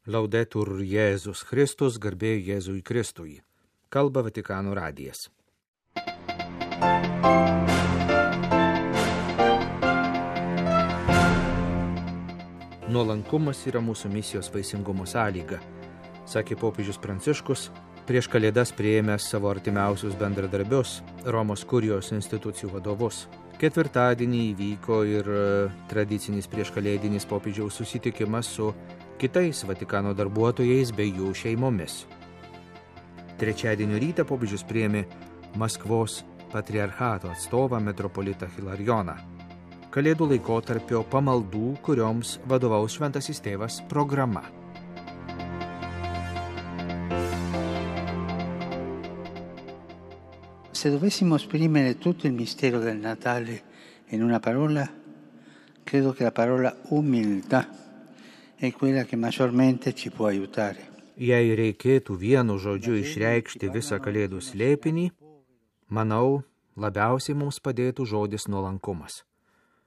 Laudetur Jėzus Kristus, garbė Jėzui Kristui. Kalba Vatikano radijas. Nuolankumas yra mūsų misijos vaisingumo sąlyga, sakė popiežius Pranciškus, prieš Kalėdas priėmęs savo artimiausius bendradarbius, Romos kurijos institucijų vadovus. Ketvirtadienį įvyko ir tradicinis prieškalėdinis popiežiaus susitikimas su kitais Vatikano darbuotojais bei jų šeimomis. Trečiadienio rytą popiežius priėmė Maskvos patriarchato atstovą metropolitą Hilarioną. Kalėdų laikotarpio pamaldų, kurioms vadovaus Šventasis Tėvas programa. Se dovessimo esprimere tutto il mistero del Natale in una parola, credo che la parola umiltà è quella che maggiormente ci può aiutare. Jei reikėtų vienu žodžiu išreikšti visą Kalėdų slėpinį, manau, labiausiai mums padėtų žodis nuolankumas,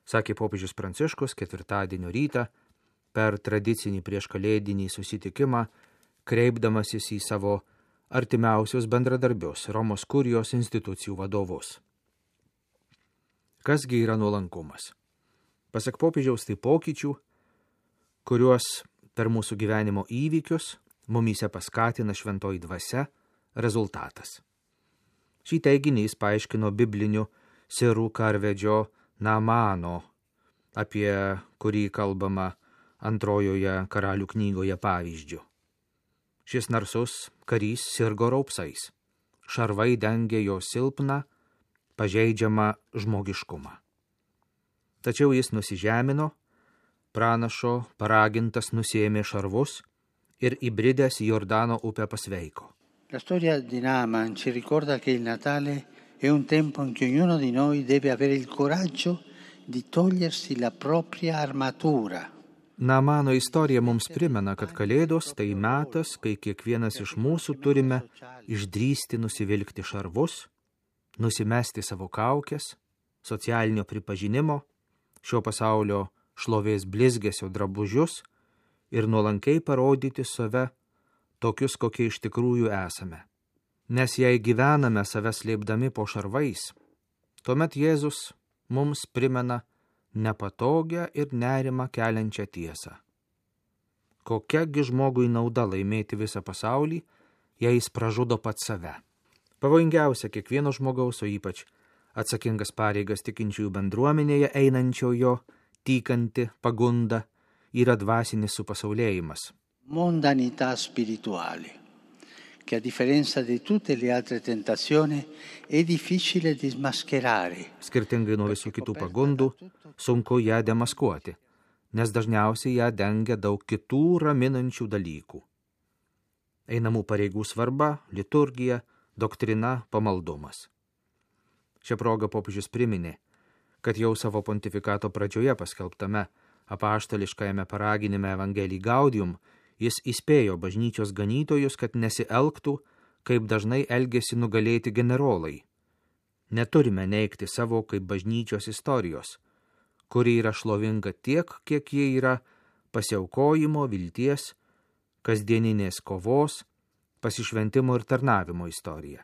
sakė popiežius Pranciškus ketvirtadienio rytą per tradicinį prieškalėdinį susitikimą, kreipdamasis į savo artimiausius bendradarbius, Romos kurijos institucijų vadovus. Kasgi yra nuolankumas? Pasak popiežiaus, tai pokyčių, kuriuos per mūsų gyvenimo įvykius mumyse paskatina šventoji dvasia, rezultatas. Šį teiginį jis paaiškino bibliniu sirų karvedžio Naamano, apie kurį kalbama antrojoje karalių knygoje pavyzdžiu. Šis narsus karys sirgo raupsais. Šarvai dengė jo silpną, pažeidžiamą žmogiškumą. Tačiau jis nusižemino, pranašo paragintas nusiėmė šarvus ir įbridęs į Jordano upę pasveiko. La storia di Naaman ci ricorda che il Natale è un tempo in cui ognuno di noi deve avere il coraggio di togliersi la propria armatura. Naamano istorija mums primena, kad Kalėdos tai metas, kai kiekvienas iš mūsų turime išdrįsti nusivilkti šarvus, nusimesti savo kaukes, socialinio pripažinimo, šio pasaulio šlovės blizgesio drabužius ir nuolankiai parodyti save tokius, kokie iš tikrųjų esame. Nes jei gyvename save slėpdami po šarvais, tuomet Jėzus mums primena nepatogią ir nerimą keliančią tiesą. Kokiagi žmogui nauda laimėti visą pasaulį, jei jis pražudo pats save? Pavojingiausia kiekvieno žmogaus, o ypač atsakingas pareigas tikinčiųjų bendruomenėje einančiojo, tykanti pagunda, yra dvasinis supasaulėjimas. Mondanità spirituale, che a differenza di tutte le altre tentazioni è difficile di smascherare. Skirtingai nuo visų kitų pagundų, sunku ją demaskuoti, nes dažniausiai ją dengia daug kitų raminančių dalykų. Einamų pareigų svarba, liturgija, doktrina, pamaldumas. Šią progą popiežius priminė, kad jau savo pontifikato pradžioje paskelbtame apaštališkajame paraginime Evangelii Gaudium jis įspėjo bažnyčios ganytojus, kad nesielgtų, kaip dažnai elgėsi nugalėti generolai. Neturime neigti savo kaip bažnyčios istorijos, kuri yra šlovinga tiek, kiek jie yra pasiaukojimo, vilties, kasdieninės kovos, pasišventimo ir tarnavimo istorija.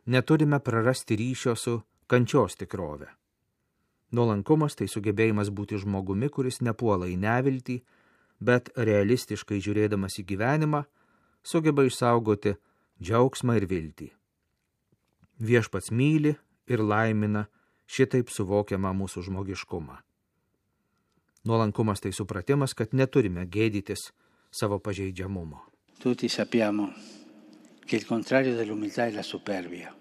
Neturime prarasti ryšio su kančios tikrove. Nuolankumas tai sugebėjimas būti žmogumi, kuris nepuola į neviltį, bet realistiškai žiūrėdamas į gyvenimą, sugeba išsaugoti džiaugsmą ir viltį. Viešpats myli ir laimina šitaip suvokiamą mūsų žmogiškumą. Nuolankumas tai supratimas, kad neturime gėdytis savo pažeidžiamumo. Tutti sappiamo che il contrario dell'umiltà è la superbia.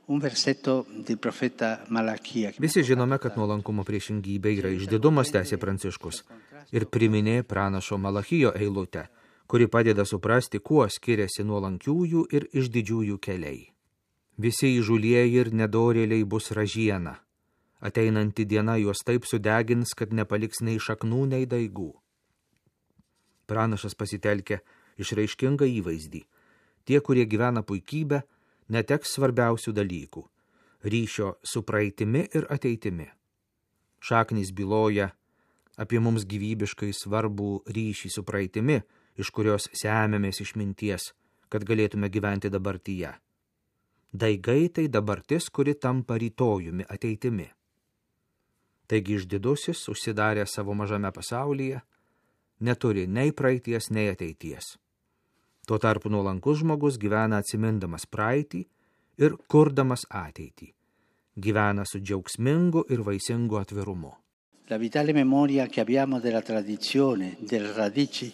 Un versetto del profeta Malachija. Visi žinome, kad nuolankumo priešingybė yra išdidumas, tęsė Pranciškus, ir priminė pranašo Malachijo eilutę, kuri padeda suprasti, kuo skiriasi nuolankiųjų ir išdidžiųjų keliai. Visi įžūlieji ir nedorėliai bus ražiena. Ateinanti diena juos taip sudegins, kad nepaliks nei šaknų, nei daigų. Pranašas pasitelkia išraiškingą įvaizdį. Tie, kurie gyvena puikybę, neteks svarbiausių dalykų – ryšio su praeitimi ir ateitimi. Šaknys byloja apie mums gyvybiškai svarbų ryšį su praeitimi, iš kurios semiamės išminties, kad galėtume gyventi dabartyje. Daigai tai dabartis, kuri tampa rytojumi, ateitimi. Taigi išdidusis, užsidarę savo mažame pasaulyje, neturi nei praeities, nei ateities. Tuo tarpu nuolankus žmogus gyvena atsimindamas praeitį ir kurdamas ateitį. Gyvena su džiaugsmingu ir vaisingu atvirumu. La vitale memoria che abbiamo della tradizione, delle radici,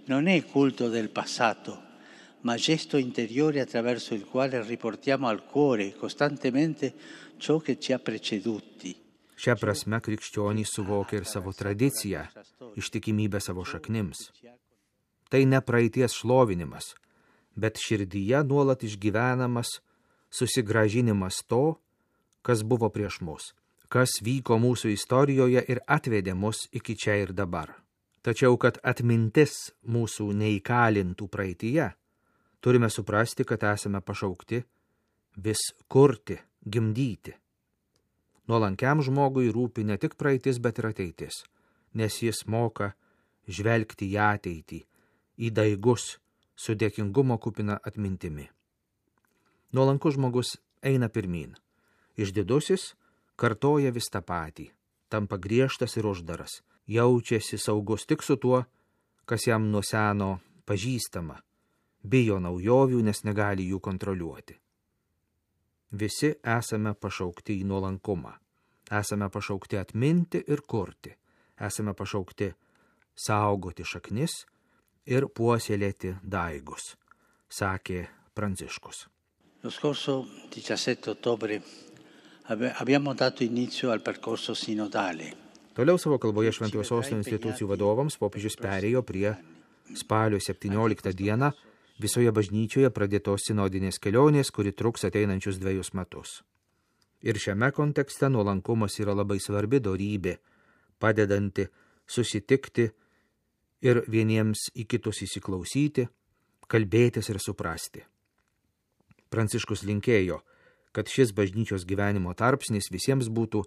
non è culto del passato, ma gesto interiore attraverso il quale riportiamo al cuore costantemente ciò che ci ha preceduti. Šia prasme krikščionys suvokia ir savo tradiciją, ištikimybę savo šaknims. Tai ne praeities šlovinimas, bet širdyje nuolat išgyvenamas susigrąžinimas to, kas buvo prieš mus, kas vyko mūsų istorijoje ir atvedė mus iki čia ir dabar. Tačiau, kad atmintis mūsų neįkalintų praeityje, turime suprasti, kad esame pašaukti vis kurti, gimdyti. Nuolankiam žmogui rūpi ne tik praeitis, bet ir ateitis, nes jis moka žvelgti į ateitį, į daigus su dėkingumo kupina atmintimi. Nuolankus žmogus eina pirmyn. Išdidusis kartoja vis tą patį, tampa griežtas ir uždaras, jaučiasi saugus tik su tuo, kas jam nuo seno pažįstama, bijo naujovių, nes negali jų kontroliuoti. Visi esame pašaukti į nuolankumą, esame pašaukti atminti ir kurti, esame pašaukti saugoti šaknis ir puoselėti daigus, sakė Pranciškus. Lo scorso 17 ottobre abbiamo dato inizio al percorso sinodale. Toliau savo kalboje Šventosios institucijų vadovams popiežius perėjo prie spalio 17 dieną visoje bažnyčioje pradėtos sinodinės kelionės, kuri truks ateinančius 2 metus. Ir šiame kontekste nuolankumas yra labai svarbi dorybė, padedanti susitikti ir vieniems į kitus įsiklausyti, kalbėtis ir suprasti. Pranciškus linkėjo, kad šis bažnyčios gyvenimo tarpsnis visiems būtų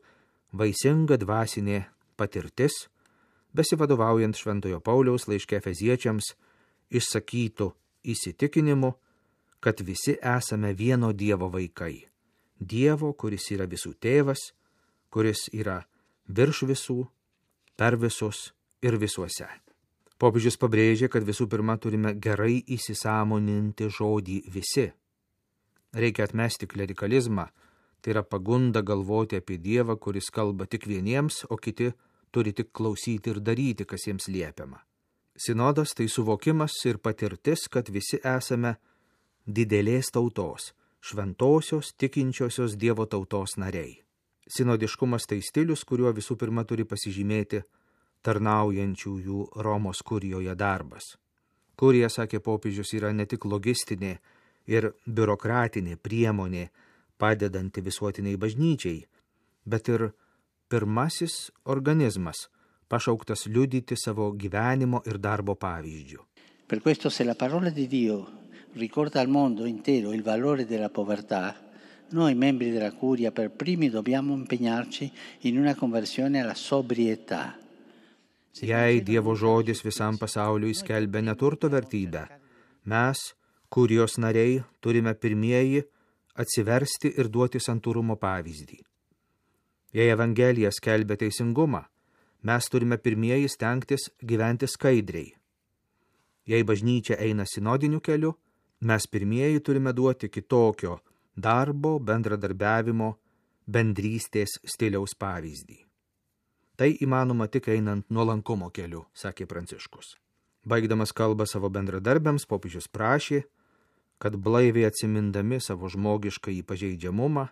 vaisinga dvasinė patirtis, besivadovaujant Šventojo Pauliaus laiške Efeziečiams išsakytų įsitikinimu, kad visi esame vieno Dievo vaikai. Dievo, kuris yra visų tėvas, kuris yra virš visų, per visus ir visuose. Popiežius pabrėžė, kad visų pirma turime gerai įsisąmoninti žodį visi. Reikia atmesti klerikalizmą, tai yra pagunda galvoti apie Dievą, kuris kalba tik vieniems, o kiti turi tik klausyti ir daryti, kas jiems liepiama. Sinodas tai suvokimas ir patirtis, kad visi esame didelės tautos, šventosios, tikinčiosios Dievo tautos nariai. Sinodiškumas tai stilius, kuriuo visų pirma turi pasižymėti tarnaujančiųjų Romos kurijoje darbas. Kurija, sakė popiežius, yra ne tik logistinė ir biurokratinė priemonė padedanti visuotiniai bažnyčiai, bet ir pirmasis organizmas, pašauktas liudyti savo gyvenimo ir darbo pavyzdžių. Per questo, se la parola di Dio ricorda al mondo intero il valore della povertà, noi membri della Curia per primi dobbiamo impegnarci in una conversione alla sobrietà. Jei Dievo žodis visam pasauliui skelbia neturto vertybę, mes, kurijos nariai, turime pirmieji atsiversti ir duoti santūrumo pavyzdį. Jei Evangelija skelbia teisingumą, mes turime pirmieji stengtis gyventi skaidriai. Jei bažnyčia eina sinodiniu keliu, mes pirmieji turime duoti kitokio darbo, bendradarbiavimo, bendrystės stiliaus pavyzdį. Tai įmanoma tik einant nuolankumo keliu, sakė Pranciškus. Baigdamas kalbą savo bendradarbiams, popiežius prašė, kad blaiviai atsimindami savo žmogišką pažeidžiamumą,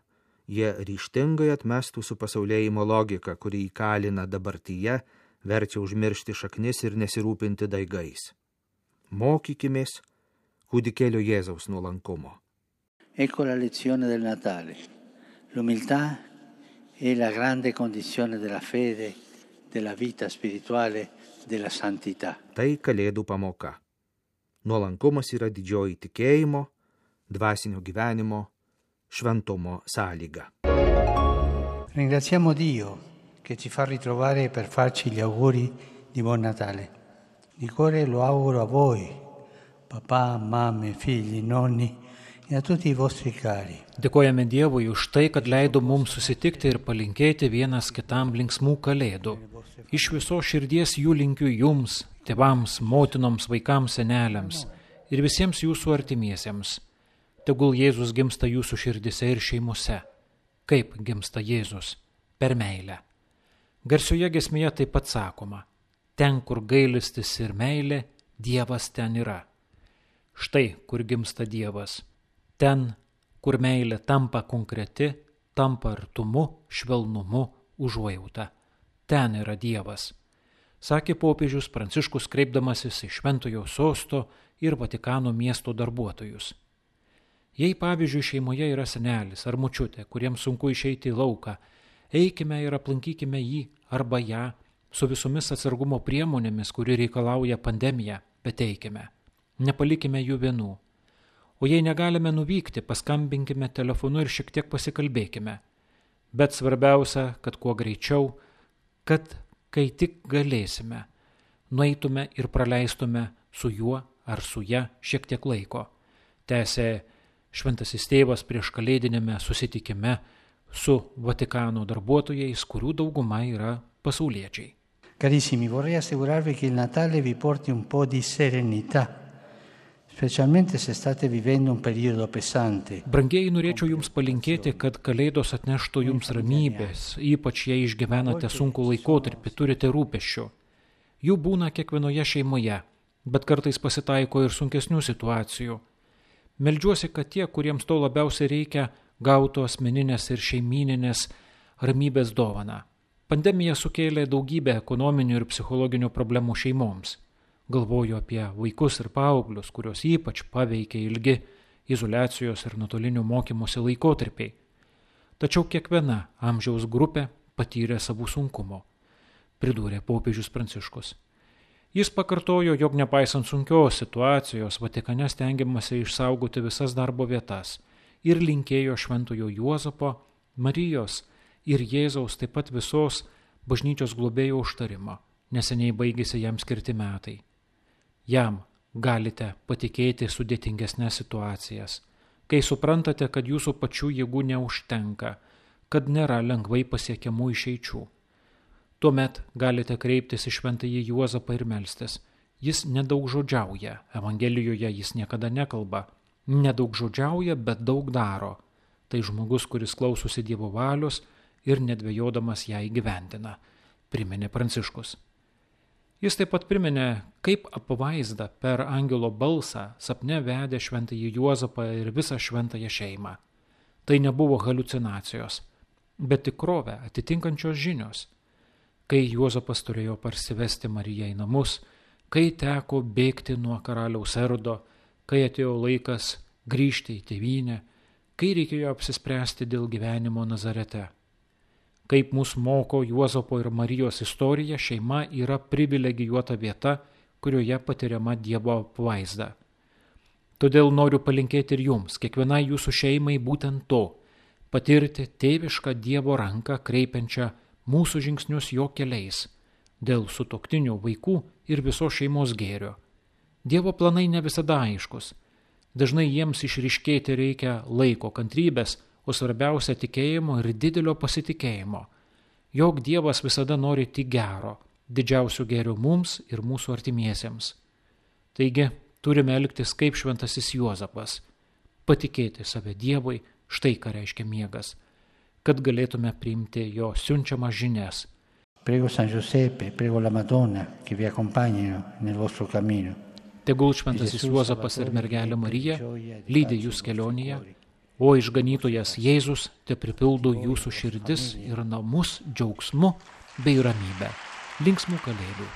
jie ryžtingai atmestų su pasaulėjimo logika, kuri įkalina dabartyje, verčia užmiršti šaknis ir nesirūpinti daigais. Mokykimės kūdikėlio Jėzaus nuolankumo. Ecco la lezione del Natale. L'umiltà è la grande condizione della fede, della vita spirituale, della santità. Tai Kalėdų pamoka. Nuolankumas yra didžioji tikėjimo, dvasinio gyvenimo, šventumo sąlyga. Ringraziamo Dio che ci fa ritrovare per farci gli auguri di buon Natale. Di cuore lo auguro a voi, papà, mamme, figli, nonni e a tutti i vostri cari. Dėkojame Dievui už tai, kad leido mums susitikti ir palinkėti vienas kitam linksmų kalėdų. Iš viso širdies jų linkiu jums, tėvams, motinoms, vaikams, seneliams ir visiems jūsų artimiesiems. Tegul Jėzus gimsta jūsų širdise ir šeimose. Kaip gimsta Jėzus? Per meilę. Garsioje giesmėje taip pat sakoma: ten, kur gailestis ir meilė, Dievas ten yra. Štai, kur gimsta Dievas. Ten, kur meilė tampa konkreti, tampa artumu, švelnumu, užuojauta. Ten yra Dievas, sakė popiežius Pranciškus, kreipdamasis į Šventojo sosto ir Vatikano miesto darbuotojus. Jei pavyzdžiui šeimoje yra senelis ar močiutė, kuriems sunku išeiti į lauką, eikime ir aplankykime jį arba ją su visomis atsargumo priemonėmis, kuri reikalauja pandemija, bet eikime. Nepalikime jų vienų. O jei negalime nuvykti, paskambinkime telefonu ir šiek tiek pasikalbėkime. Bet svarbiausia, kad kuo greičiau, kad kai tik galėsime, nueitume ir praleistume su juo ar su ja šiek tiek laiko. Tęsė Šventasis Tėvas prieš kalėdinėme susitikime su Vatikano darbuotojais, kurių dauguma yra pasauliečiai. Carissimi, vorrei assicurarvi che il Natale vi porti un po' di serenità, specialmente se state vivendo un periodo pesante. Brangieji, norėčiau jums palinkėti, kad kalėdos atneštų jums ramybės, ypač jei išgyvenate sunkų laikotarpį, turite rūpesčių. Jų būna kiekvienoje šeimoje, bet kartais pasitaiko ir sunkesnių situacijų. Meldžiuosi, kad tie, kuriems to labiausiai reikia, gautų asmeninės ir šeimyninės ramybės dovaną. Pandemija sukėlė daugybę ekonominių ir psichologinių problemų šeimoms. Galvoju apie vaikus ir paauglius, kurios ypač paveikė ilgi izoliacijos ir nuotolinių mokymosi laikotarpiai. Tačiau kiekviena amžiaus grupė patyrė savų sunkumų, pridūrė popiežius Pranciškus. Jis pakartojo, jog nepaisant sunkios situacijos, Vatikane stengiamasi išsaugoti visas darbo vietas ir linkėjo Šventojo Juozapo, Marijos ir Jėzaus, taip pat visos bažnyčios globėjo užtarimo. Neseniai baigėsi jam skirti metai. Jam galite patikėti sudėtingesnės situacijas, kai suprantate, kad jūsų pačių jėgų neužtenka, kad nėra lengvai pasiekiamų išeičių. Tuomet galite kreiptis į Šventąjį Juozapą ir melstis. Jis nedaugžodžiauja, Evangelijoje jis niekada nekalba. Nedaugžodžiauja, bet daug daro. Tai žmogus, kuris klausosi Dievo valios ir nedvejodamas ją įgyvendina, priminė Pranciškus. Jis taip pat priminė, kaip apvaizda per angelo balsą sapne vedė Šventąjį Juozapą ir visą šventąją šeimą. Tai nebuvo haliucinacijos, bet tikrovę atitinkančios žinios. Kai Juozapas turėjo parsivesti Mariją į namus, kai teko bėgti nuo karaliaus Erodo, kai atėjo laikas grįžti į tėvynę, kai reikėjo apsispręsti dėl gyvenimo Nazarete. Kaip mus moko Juozapo ir Marijos istorija, šeima yra privilegijuota vieta, kurioje patiriama Dievo apvaizda. Todėl noriu palinkėti ir jums, kiekvienai jūsų šeimai būtent to, patirti tėvišką Dievo ranką kreipiančią mūsų žingsnius jo keliais, dėl sutuoktinių, vaikų ir visos šeimos gėrio. Dievo planai ne visada aiškus. Dažnai jiems išryškėti reikia laiko, kantrybės, o svarbiausia tikėjimo ir didelio pasitikėjimo. Jog Dievas visada nori tik gero, didžiausio gėrio mums ir mūsų artimiesiems. Taigi, turime elgtis kaip Šventasis Juozapas, patikėti save Dievui, štai ką reiškia miegas, kad galėtume priimti jo siunčiamas žinias. Prego San Giuseppe, prego la Madonna, che vi accompagnino nel vostro cammino. Tegul Šventasis Juozapas ir mergelė Marija lydi jūs kelionėje, o išganytojas Jėzus te pripildo jūsų širdis ir namus džiaugsmu bei ramybe. Linksmų kalėdų.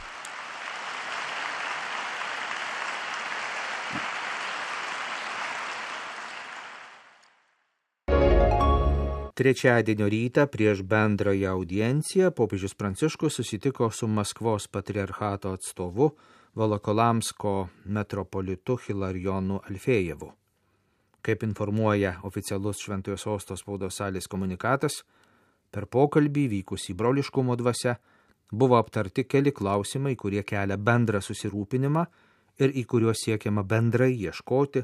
Trečiadienio rytą prieš bendrąją audienciją popiežius Pranciškus susitiko su Maskvos patriarchato atstovu Volokolamsko metropolitu Hilarijonu Alfėjevu. Kaip informuoja oficialus Šventojo sosto spaudos salės komunikatas, per pokalbį vykusį broliškumo dvasia buvo aptarti keli klausimai, kurie kelia bendrą susirūpinimą ir į kuriuos siekiama bendrai ieškoti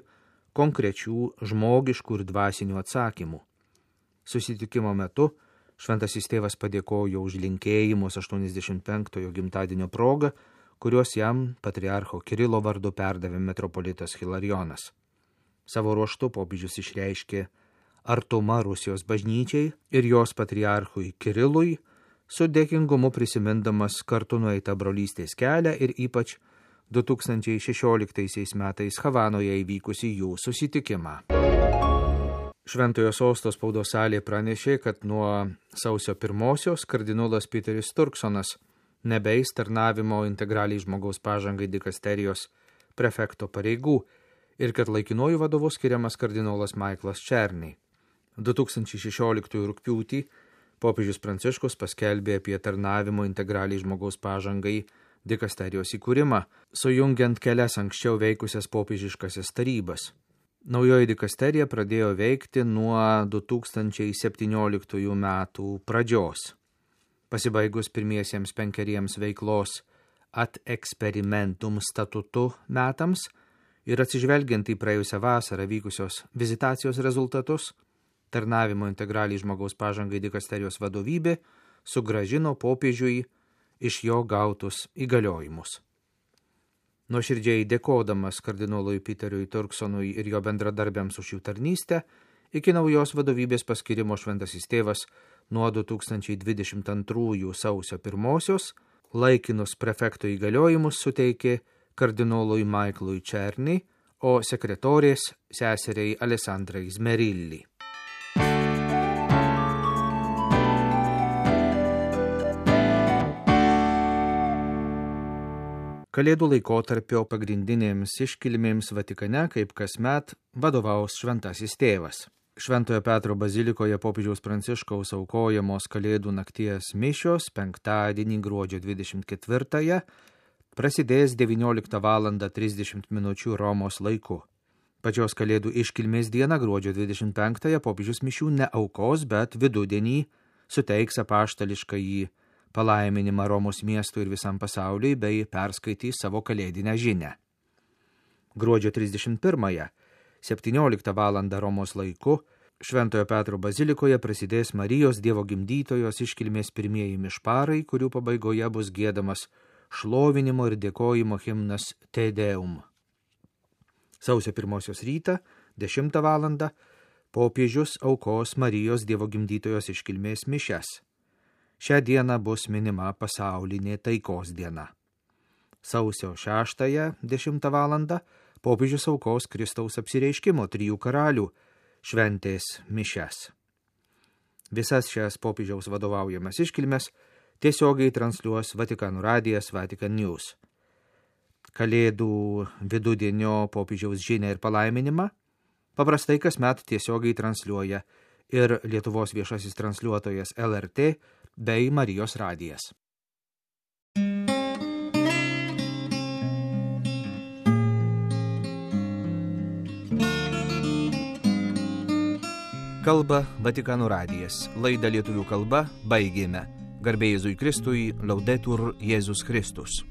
konkrečių žmogiškų ir dvasinių atsakymų. Susitikimo metu šventasis tėvas padėkojo už linkėjimus 85-ojo gimtadienio progą, kuriuos jam patriarcho Kirilo vardu perdavė metropolitas Hilarionas. Savo ruožtu popiežius išreiškė artumą Rusijos bažnyčiai ir jos patriarchui Kirilui, su dėkingumu prisimindamas kartu nueitą brolystės kelią ir ypač 2016 metais Havanoje įvykusi jų susitikimą. Šventojo sosto spaudos salė pranešė, kad nuo sausio 1 kardinolas Peteris Turksonas nebeis tarnavimo integraliai žmogaus pažangai dikasterijos prefekto pareigų ir kad laikinuoju vadovu skiriamas kardinolas Michaelas Černy. 2016 rugpjūtį popiežius Pranciškus paskelbė apie tarnavimo integraliai žmogaus pažangai dikasterijos įkūrimą, sujungiant kelias anksčiau veikusias popiežiškasias tarybas. Naujoji dikasterija pradėjo veikti nuo 2017 metų pradžios. Pasibaigus pirmiesiems 5 veiklos ad experimentum statutu metams ir atsižvelgiant į praėjusią vasarą vykusios vizitacijos rezultatus, tarnavimo integraliai žmogaus pažangai dikasterijos vadovybė sugrąžino popiežiui iš jo gautus įgaliojimus. Nuoširdžiai dėkodamas kardinolui Peteriui Turksonui ir jo bendradarbiams už jų tarnystę, iki naujos vadovybės paskirimo šventasis tėvas nuo 2022 sausio 1 laikinus prefekto įgaliojimus suteikė kardinolui Michaelui Černy, o sekretorės seseriai Alessandrai Zmerilli. Kalėdų laikotarpio pagrindinėms iškilmėms Vatikane, kaip kasmet, vadovaus šventasis tėvas. Šventojo Petro bazilikoje popiežiaus Pranciškaus aukojamos Kalėdų nakties mišios penktadienį gruodžio 24 prasidės 19:30 min. Romos laiku. Pačios Kalėdų iškilmės dieną gruodžio 25 popiežius mišių neaukos, bet vidudienį suteiks apaštališkąjį palaiminimą Romos miestui ir visam pasauliui bei perskaitys savo kalėdinę žinią. Gruodžio 31 17 val. Romos laiku Šventojo Petro bazilikoje prasidės Marijos Dievo gimdytojos iškilmės pirmieji mišparai, kurių pabaigoje bus giedamas šlovinimo ir dėkojimo himnas Te Deum. Sausio 1 rytą 10 val. Popiežius aukos Marijos Dievo gimdytojos iškilmės mišias. Šią dieną bus minima pasaulinė taikos diena. Sausio 6 10 val. Popiežius aukos Kristaus apsireiškimo 3 karalių šventės mišias. Visas šias popiežiaus vadovaujamas iškilmes tiesiogiai transliuos Vatikano radijas Vatican News. Kalėdų vidudienio popiežiaus žinią ir palaiminimą paprastai kasmet tiesiogiai transliuoja ir Lietuvos viešasis transliuotojas LRT bei Marijos radijas. Kalba Vatikano radijas. Laidą lietuvių kalba baigėme. Garbė Jėzui Kristui, Laudetur Jėzus Kristus.